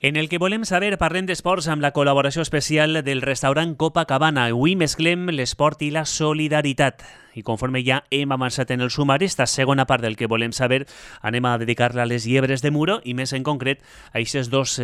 En el que volem saber, parlem d'esports amb la col·laboració especial del restaurant Copacabana. Avui mesclem l'esport i la solidaritat. I conforme ja hem avançat en el sumari, esta segona part del que volem saber anem a dedicar-la a les llebres de Muro i més en concret a aquestes dos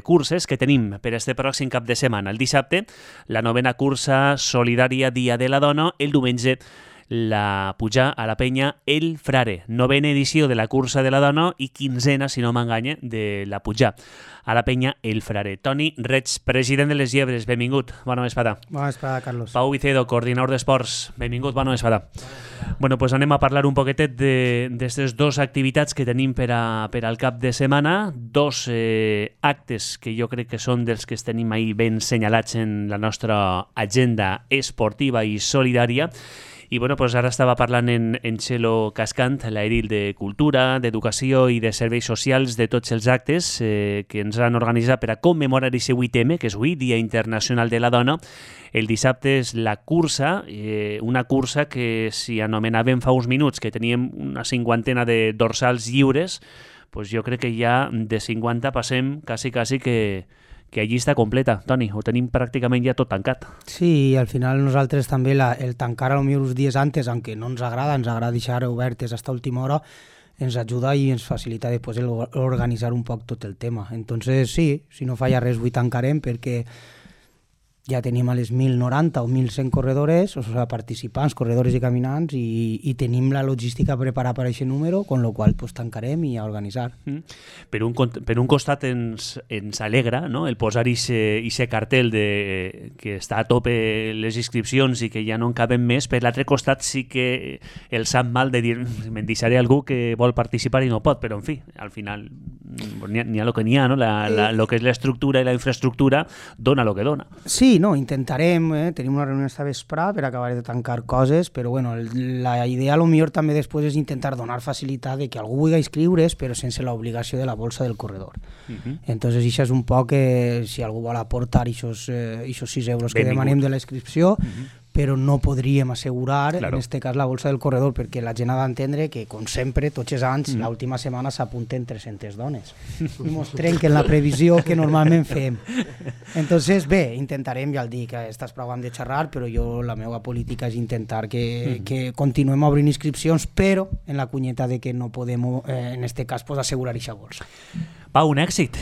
curses que tenim per este pròxim cap de setmana. El dissabte, la 9ª cursa solidària Dia de la Dona, el diumenge la pujar a la penya El Frare, 9ª edició de la cursa de la dona i 15ª, si no m'enganya, de la pujar a la penya El Frare. Toni Reig, president de les Llebres, benvingut, bona vesprada. Bona vesprada, Carlos. Pau Vicedo, coordinador d'esports, benvingut, bona vesprada. Bueno, pues anem a parlar un poquetet d'aquestes dues activitats que tenim per al cap de setmana, dos actes que jo crec que són dels que tenim ahí ben senyalats en la nostra agenda esportiva i solidària. I bueno, pues ara estava parlant en Txelo Cascant, l'edil de Cultura, d'Educació i de Serveis Socials, de tots els actes que ens han organitzat per a commemorar aquest 8M, que és avui, Dia Internacional de la Dona. El dissabte és la cursa, una cursa que si anomenàvem fa uns minuts que teníem una 50ena de dorsals lliures, pues jo crec que ja de 50 passem quasi que allí està completa. Toni, ho tenim pràcticament ja tot tancat. Sí, al final nosaltres també el tancar a lo millor uns dies antes, aunque no ens agrada deixar obertes hasta última hora, ens ajuda i ens facilita després organitzar un poc tot el tema. Entonces sí, si no falla res, avui tancarem perquè ja tenim a les 1.090 o 1.100 corredores, o sigui, participants, corredores i caminants, i tenim la logística preparada per a aquest número, con lo qual pues, tancarem i a organitzar. Per un costat ens alegra, no?, el posar aquest cartell que està a tope les inscripcions i que ja no en caben més. Per l'altre costat sí que el sap mal de dir me'n deixaré algú que vol participar i no pot, però en fi, al final n'hi ha el que n'hi ha, no? Lo que és l'estructura i la infraestructura dona el que dona. Sí, no, intentarem, tenim una reunió esta vesprà per acabar de tancar coses, però bueno, la idea a lo millor també després és intentar donar facilitat de que algú vulgui inscriure's però sense l'obligació de la bolsa del corredor. Entonces això és un poc que si algú vol aportar aquests 6 euros que demanem de la inscripció, però no podríem assegurar, en aquest cas, la bolsa del corredor, perquè la gent ha d'entendre que, com sempre, tots els anys, l'última setmana s'apunten 300 dones. I mos trenquen la previsió que normalment fem. Entonces, bé, intentarem, ja el dic, estàs prou de xerrar, però jo la meva política és intentar que continuem obrint inscripcions, però en la cunyeta de que no podem, en aquest cas, assegurar aquesta bolsa. Pau, un èxit.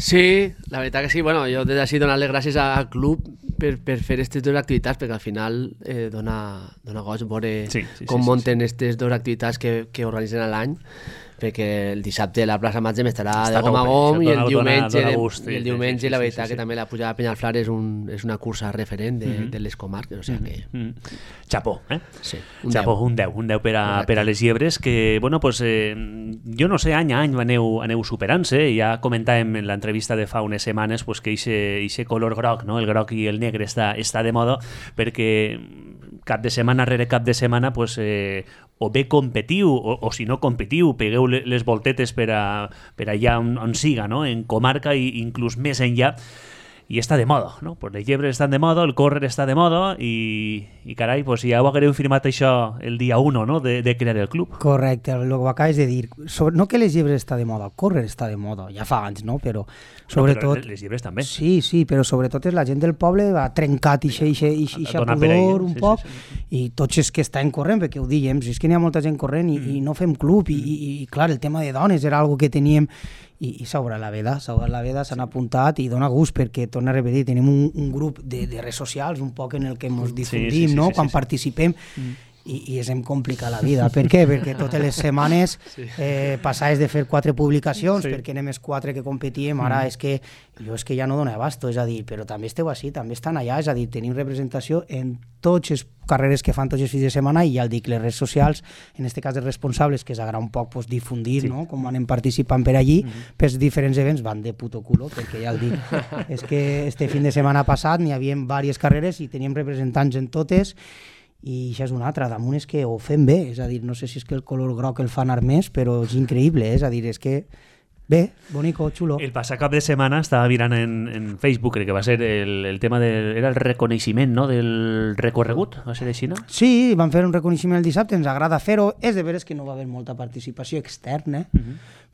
Sí, la veritat que sí. Bueno, jo des d'ací donar-les gràcies al club per fer aquestes dues activitats, perquè al final dona goig veure com munten aquestes dues activitats que organitzen a l'any, perquè el dissabte la plaça Matzem estarà de gom a gom i el diumenge la veritat que també la pujada a Penyalflar és una cursa referent de les comarques, o sigui que... Xapó, Sí, Xapó, un 10 per a les llebres que, bueno, pues jo no sé, any a any aneu superant-se, ja comentàvem en l'entrevista de fa unes setmanes pues, que aquest color groc, no? El groc i el negre està de moda perquè cap de setmana rere cap de setmana pues, o bé competiu o si no competiu, pegueu les voltetes per allà on siga, no? En comarca i inclús més enllà, i està de moda, no? Pues les llebres estan de moda, el córrer està de moda i carai, pues ja ho haguereu firmat això el dia 1, no? De crear el club. Correcte, el que acabes de dir. No que les llebres està de moda, el córrer està de moda, ja fa anys, no? Però sobretot... Les llebres també. Sí, però sobretot és la gent del poble ha trencat ixa pudor un poc i tots els que estan corrent, perquè ho dèiem, és que n'hi ha molta gent corrent i no fem club i clar, el tema de dones era algo que teníem i s'obre la veda, s'han apuntat i dona gust perquè, torna a repetir, tenim un grup de redes socials un poc en el que ens difundim, no? Quan participem i ens hem complicat la vida. Per què? Perquè totes les setmanes passaves de fer 4 publicacions perquè anem els 4 que competíem, ara és que ja no dona abasto, és a dir, però també esteu així, també estan allà, és a dir, tenim representació en tots els carreres que fan tots els fins de setmana i ja el dic, les redes socials, en aquest cas els responsables, que s'agrada un poc difundir, no? Com anem participant per allí, per diferents events, van de puto culo, perquè ja el dic, és que este fin de setmana passat n'hi havia diverses carreres i teníem representants en totes i això és una altra, damunt és que ho fem bé, és a dir, no sé si és que el color groc el fa anar més, però és increïble, és a dir, és que bé, bonico, xulo. El passat cap de setmana estava mirant en Facebook, crec que va ser el tema era el reconeixement, no?, del recorregut, va ser així, no? Sí, van fer un reconeixement el dissabte, ens agrada fer-ho, és de veres que no va haver molta participació externa,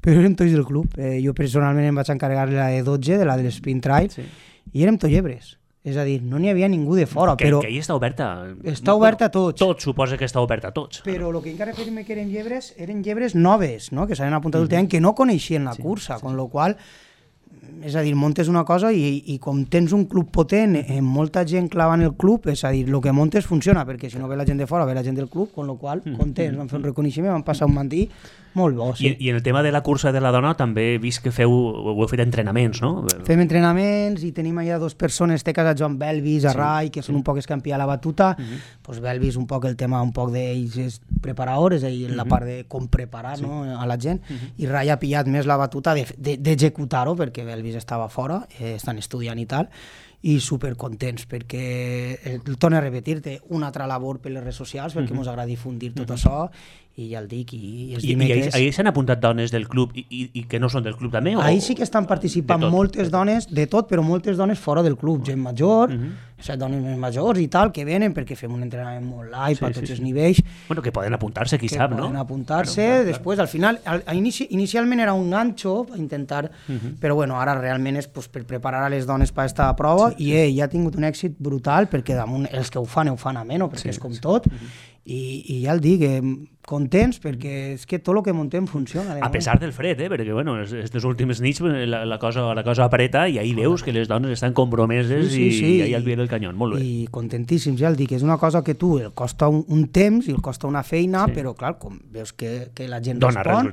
però érem tots del club. Jo personalment em vaig encarregar la de 12, de la de l'Sprint Trail, i érem tots llebres. És a dir, no n'hi havia ningú de fora. Que ahir està oberta. Està oberta a tots. Tot suposa que està oberta a tots. Però el que encara fèiem que eren llebres noves, no? Que s'havien apuntat últimament, que no coneixien la cursa, con lo qual, és a dir, montes una cosa i com tens un club potent, molta gent clavant el club, és a dir, el que montes funciona, perquè si no ve la gent de fora, ve la gent del club, con lo qual, contents, vam fer un reconeixement, vam passar un matí molt bo, sí. I en el tema de la cursa de la dona també he vist que ho heu fet entrenaments, no? Fem entrenaments i tenim allà 2 persones, teques a Joan Belvis, a Rai, que són un poc escampi a la batuta, pues Belvis un poc el tema un poc d'ells és preparador, és a dir, la part de com preparar a la gent, i Rai ha pillat més la batuta d'executar-ho, perquè Belvis estava fora, estan estudiant i tal, i supercontents perquè torno a repetir-te una altra labor per les redes socials perquè ens agrada difundir tot això i ja el dic i els dimecres... I ahir s'han apuntat dones del club i que no són del club també? Ahir sí que estan participant moltes dones de tot, però moltes dones fora del club, gent major, dones més majors i tal, que venen perquè fem un entrenament molt live a tots els nivells. Bueno, que poden apuntar-se, qui sap, no? Poden apuntar-se, després al final, inicialment era un ganxo per intentar, però bueno, ara realment és per preparar a les dones per aquesta prova i ja ha tingut un èxit brutal perquè damunt els que ho fan ameno, perquè és com tot, i ja el dic, contents perquè és que tot el que muntem funciona. A pesar del fred, perquè bueno, aquestes últimes nits la cosa apreta i ahí veus que les dones estan compromeses i ahí al pie del canyó, molt bé. I contentíssims, ja el dic, és una cosa que tu el costa un temps i el costa una feina, però clar, com veus que la gent respon,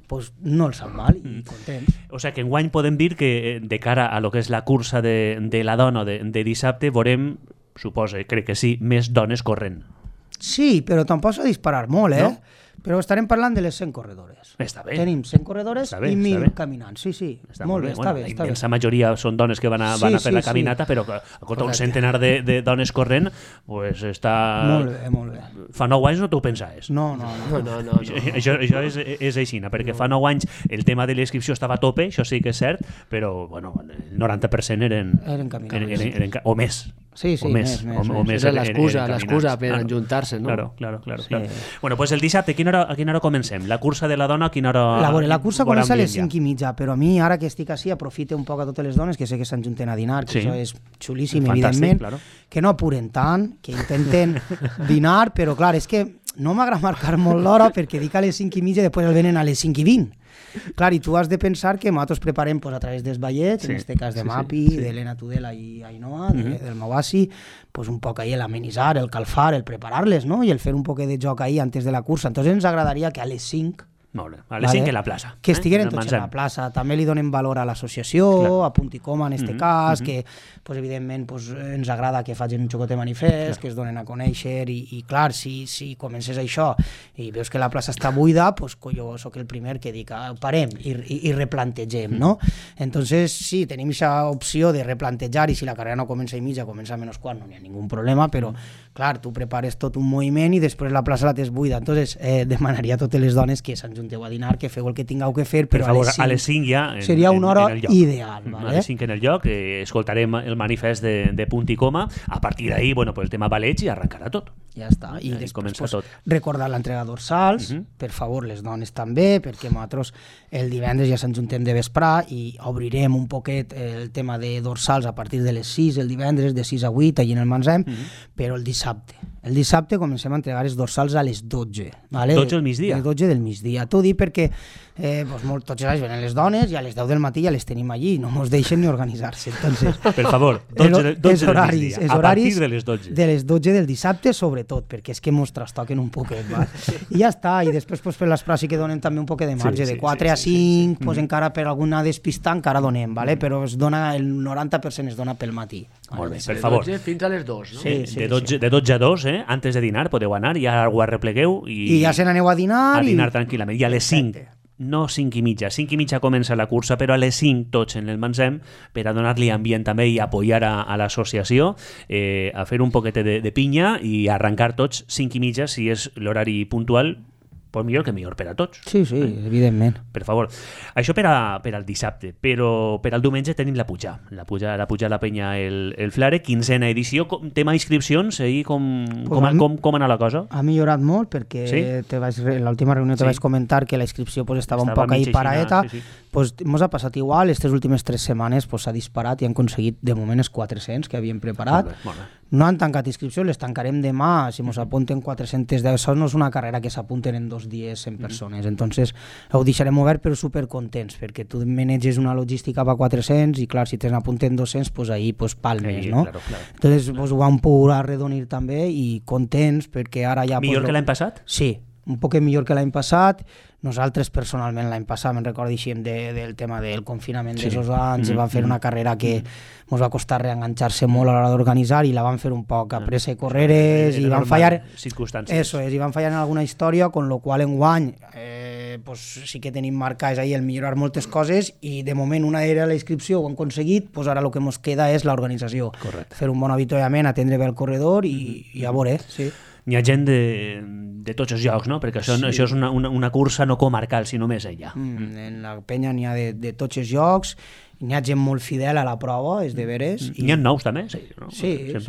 doncs no els sap mal i contents. O sigui que enguany podem dir que de cara a lo que és la cursa de la dona de dissabte veurem, suposa, crec que sí, més dones corrent. Sí, però tampoc s'ha disparar molt, No? Però estarem parlant de les 100 corredores. Està bé. Tenim 100 corredores i 1.000 caminants. Sí, molt bé, està bé. La immensa majoria són dones que van a fer la caminata, però un centenar de dones corrent, pues està... Molt bé. Fa 9 anys no t'ho pensaves. No. Això és així, perquè fa 9 anys el tema de l'inscripció estava a tope, això sí que és cert, però bueno, el 90% eren caminants. O més. Sí, més. És l'excusa per ajuntar-se, no? Claro. Bueno, pues el dissabte, a quina hora comencem? La cursa de la dona, a quina hora... La cursa comença a les 5:30, però a mi, ara que estic així, aprofite un poc a totes les dones que sé que s'ajunten a dinar, que això és xulíssim, evidentment, que no apuren tant, que intenten dinar, però clar, és que no m'agrada marcar molt l'hora perquè dic a les 5:30 i després el venen a les 5:20. Clar, i tu has de pensar que nosaltres preparem a través dels ballets, en aquest cas de Mapi, d'Helena Tudela i Ainhoa, del Mauassi, un poc ahí l'amenitzar, el calfar, el preparar-les, no? I el fer un poc de joc ahí antes de la cursa. Entonces ens agradaria que a les 5 Molt bé. A les 5 a la plaça. Que estigueren tots a la plaça. També li donem valor a l'associació, a Punt i Coma en aquest cas, que evidentment ens agrada que facin un xocotet manifest, que es donen a conèixer i clar, si comences això i veus que la plaça està buida, jo soc el primer que dic parem i replantegem, no? Entonces sí, tenim aquesta opció de replantejar i si la carrera no comença a mitja, comença a menys quart, no hi ha ningú problema, però clar, tu prepares tot un moviment i després la plaça la tens buida. Entonces demanaria a totes les dones que s'enjunteu a dinar, que feu el que tingueu que fer, però a les 5 ja seria una hora ideal. A les 5 en el lloc, escoltarem el manifest de Punt i Coma, a partir d'ahí, el tema balets i arrencarà tot. Ja està, i després recordar l'entrega dorsals, per favor, les dones també, perquè nosaltres el divendres ja s'enjuntem de vesprà i obrirem un poquet el tema de dorsals a partir de les 6, el divendres, de 6 a 8, allà en el Mansem, però el dissabte comencem a entregar els dorsals a les 12. 12 del migdia? A les 12 del migdia. T'ho dic perquè tots els anys venen les dones i a les 10 del matí ja les tenim allí, no ens deixen ni organitzar-se. Entonces, per favor, 12 del migdia, a partir de les 12. De les 12 del dissabte, sobretot, perquè és que ens trastoquen un poquet. I ja està, i després per l'esprà sí que donem també un poquet de marge, de 4 a 5, encara per alguna despista encara donem, però el 90% es dona pel matí. Molt bé, per favor. Fins a les 2, no? De 12 a 2, antes de dinar podeu anar, ja ho arreplegueu i ja se n'aneu a dinar. A dinar tranquil·lament. I a les 5, no 5:30. 5:30 comença la cursa, però a les 5 tots en el Mansem per a donar-li ambient també i apoyar a l'associació, a fer un poquet de pinya i arrencar tots 5:30 si és l'horari puntual Pues millor que millor per a tots. Sí, evidentment. Per favor. Això per al dissabte, però per al diumenge tenim la puja a la penya el Flare, 15a edició. Tema inscripcions, com anar la cosa? Ha millorat molt perquè en l'última reunió te vaig comentar que la inscripció estava un poc ahí paraeta. Ens ha passat igual, aquestes últimes 3 setmanes s'ha disparat i han aconseguit de moment els 400 que havíem preparat. No han tancat inscripcions, les tancarem demà, si ens apunten 410. Això no és una carrera que s'apunten en 2 dies 100 persones, entonces ho deixarem obert però supercontents, perquè tu maneges una logística per 400 i clar, si te n'apunten 200, pues ahí palmes, no? Claro. Entonces ho vam poder arredonir també i contents perquè ara ja... Millor que l'any passat? Sí, un poc millor que l'any passat. Nosaltres personalment l'any passat, me'n recordo del tema del confinament d'aquests anys, vam fer una carrera que ens va costar reenganxar-se molt a l'hora d'organitzar i la vam fer un poc a pressa i correres i van fallar i van fallar en alguna història, con lo qual enguany sí que tenim marcades ahí el millorar moltes coses i de moment una era la inscripció, ho hem aconseguit, ara el que ens queda és l'organització. Fer un bon avituallament, atendre bé el corredor i a veure, sí. Hi ha gent de tots els llocs, no? Perquè això és una cursa no comarcal, sinó més enllà. En la penya n'hi ha de tots els llocs, n'hi ha gent molt fidel a la prova, és de veres. N'hi ha nous també? Sí,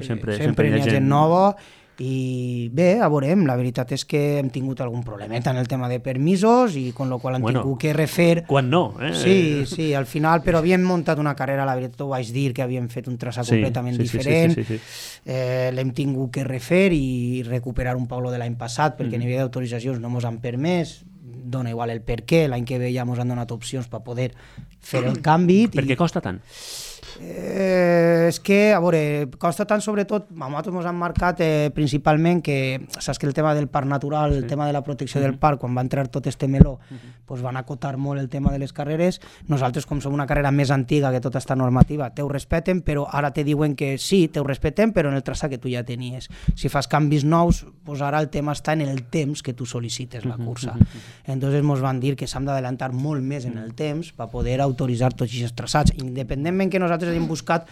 sempre n'hi ha gent nova. I bé, a veurem, la veritat és que hem tingut algun problemeta en el tema de permisos i con lo qual hem tingut que refer... Quan no? Sí, al final, però havíem muntat una carrera, la veritat ho vaig dir, que havíem fet un traçat completament diferent, l'hem tingut que refer i recuperar un Pablo de l'any passat, perquè a nivell d'autoritzacions no ens han permès, dona igual el per què, l'any que ve ja ens han donat opcions per poder fer el canvi. Per què costa tant? És que, a veure, costa tant sobretot, a nosaltres ens han marcat principalment que, saps que el tema del parc natural, el tema de la protecció del parc, quan va entrar tot este meló, van acotar molt el tema de les carreres. Nosaltres, com som una carrera més antiga que tota esta normativa, te ho respeten, però ara te diuen que sí, te ho respeten, però en el traçat que tu ja tenies. Si fas canvis nous, ara el tema està en el temps que tu sol·licites la cursa. Entonces ens van dir que s'han d'adelantar molt més en el temps per poder autoritzar tots aquests traçats, independentment que nosaltres hem buscat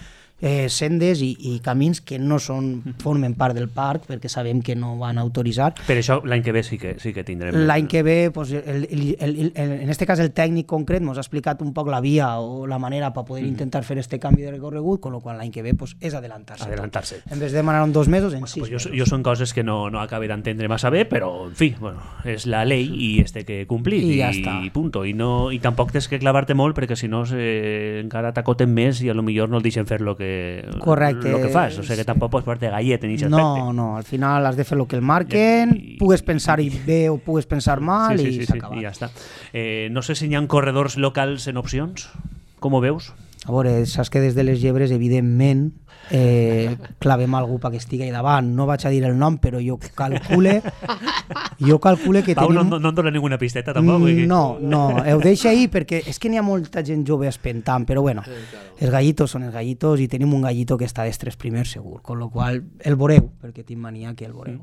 sendes i camins que no formen part del parc perquè sabem que no van autoritzar. Per això l'any que ve sí que tindrem. L'any que ve, en aquest cas el tècnic concret ens ha explicat un poc la via o la manera per poder intentar fer este canvi de recorregut, con lo qual l'any que ve és adelantar-se. En vez de demanar en 2 mesos, en 6 mesos. Jo són coses que no acabé d'entendre massa bé, però en fi, és la llei i que complir i ja està. I punto. I tampoc tens que clavar-te molt perquè si no encara t'acoten més i a lo millor no et deixen fer lo que fas, o sigui que tampoc pots posar-te gallet en aquest aspecte. No, al final has de fer el que el marquen, pugues pensar bé o pugues pensar mal i s'ha acabat. I ja està. No sé si hi ha corredors locals en opcions, com ho veus? A veure, saps que des de les Llebres, evidentment, clavem algú perquè estigui davant. No vaig a dir el nom, però jo calcule que Pau, tenim... no em dona ninguna pisteta, tampoc? No, ho deixa ahir perquè és que n'hi ha molta gent jove espentant, però bueno, els gallitos són els gallitos i tenim un gallito que està dels 3 primers segur, con lo qual el veureu, perquè tinc mania que el veureu.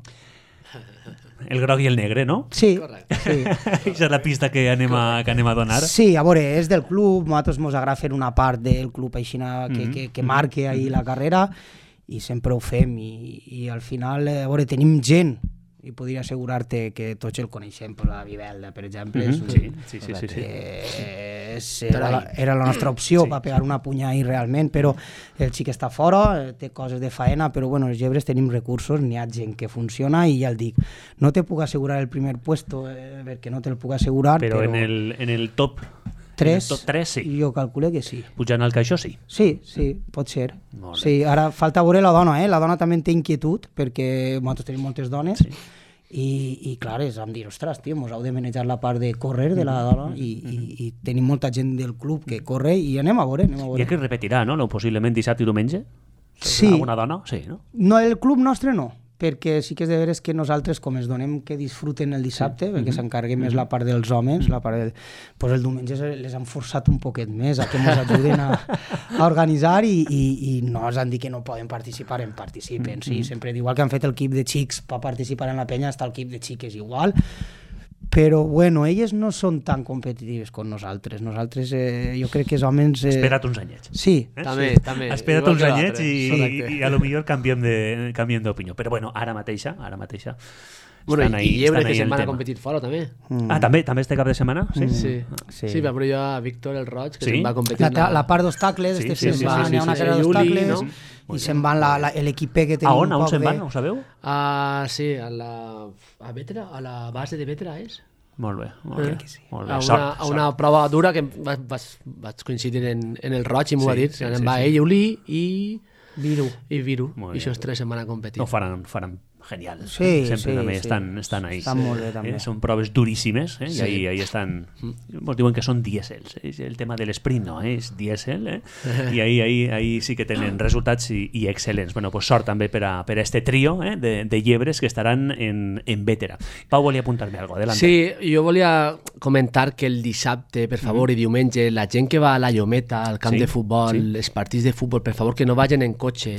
El groc i el negre, no? Sí. Aquesta és la pista que anem a donar. Sí, a veure, és del club, nosaltres ens agrada fer una part del club aixina que marque ahí la carrera i sempre ho fem i al final, a veure, tenim gent i podria assegurar-te que tots el coneixem, per la Vivelda, per exemple. Era la nostra opció per pegar una punya ahí realment, però el xic està fora, té coses de faena, però bueno, els Llebres tenim recursos, n'hi ha gent que funciona i ja el dic, no te puc assegurar el primer puesto, perquè no te'l puc assegurar, però en el top 3, sí. Jo calculo que sí. Pujant al caixó, sí. Sí, pot ser. Sí, ara falta veure la dona, la dona també té inquietud, perquè nosaltres tenim moltes dones, i clar, vam dir, ostres, tio, mos heu de manejar la part de córrer de la dona i tenim molta gent del club que corre i anem a veure. I que repetirà, no? Possiblement dissabte i diumenge? Sí. Alguna dona? Sí, no? No, el club nostre no, perquè sí que és de veres que nosaltres, com es donem que disfruten el dissabte, perquè s'encarreguem més la part dels homes, pues el diumenge les han forçat un poquet més a que ens ajuden a organitzar i no ens han dit que no poden participar, participen. Sí, sempre igual que han fet el equip de xics per participar en la penya, està el equip de xiques igual, però bueno, elles no són tan competitives com nosaltres. Nosaltres, jo crec que els homes... Espera't uns anyets. Sí. També. Espera't uns anyets i a lo millor canviem d'opinió. Però bueno, ara mateixa Bueno, i Llebre, que se'n van a competir fora, també. Ah, també este cap de setmana? Sí, però jo a Víctor el Roig, que se'n va a competir. La part d'obstacles, n'hi ha una carrera d'obstacles, i se'n van l'equip que tenim un poc de... On se'n van, ho sabeu? Sí, a Vetra, a la base de Vetra, és? Molt bé. A una prova dura que vaig coincidir en el Roig i m'ho va dir. Se'n va ell, Uli i Viru. I aquests tres se'n van a competir. No, faran genial. Sempre també estan ahí. Estan molt bé, també. Són proves duríssimes, i ahí estan... Ens diuen que són dièsels. El tema de l'esprint no, és dièsel, i ahí sí que tenen resultats i excel·lents. Bueno, pues sort també per a este trio de llebres que estaran en Vétera. Pau volia apuntar-me algo, adelante. Sí, jo volia comentar que el dissabte, per favor, i diumenge, la gent que va a la Llometa, al camp de futbol, els partits de futbol, per favor, que no vagin en cotxe,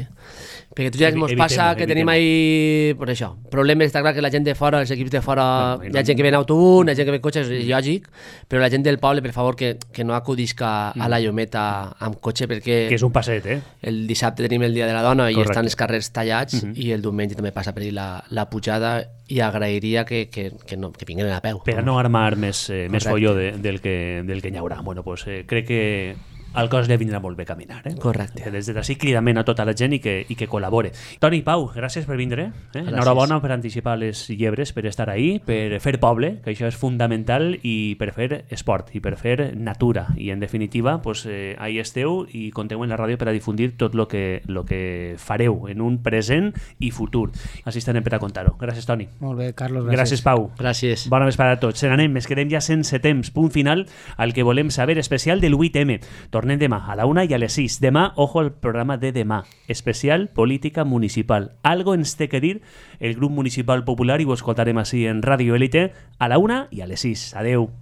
perquè tu ja ens passa que tenim ahí, per això, problemes. Està clar que la gent de fora, els equips de fora, hi ha gent que ve en autobús, hi ha gent que ve en cotxe, és lògic, però la gent del poble, per favor, que no acudisca a la Llometa amb cotxe, perquè... Que és un passet, El dissabte tenim el Dia de la Dona i estan els carrers tallats, i el diumenge també passa per la pujada, i agrairia que vinguin a peu. Per a no armar més folló del que n'hi haurà. Bueno, pues crec que al cos li vindrà molt bé caminar. Correcte. Des d'ací cridament a tota la gent i que col·labore. Toni, Pau, gràcies per vindre. Enhorabona per anticipar les llebres, per estar ahí, per fer poble, que això és fundamental, i per fer esport, i per fer natura. I en definitiva, pues, ahí esteu i compteu en la ràdio per a difundir tot lo que fareu en un present i futur. Així estarem per a contar-ho. Gràcies, Toni. Molt bé, Carlos, gràcies. Gràcies, Pau. Gràcies. Bona vesprada a tots. Se n'anem, ens quedem ja sense temps. Punt final al que volem saber, especial del 8M. Tornem demà a la 1 i a les 6. Demà, ojo al programa de demà. Especial política municipal. Algo ens té que dir el grup municipal popular i ho escoltarem així en Ràdio Élite a la 1 i a les 6. Adeu.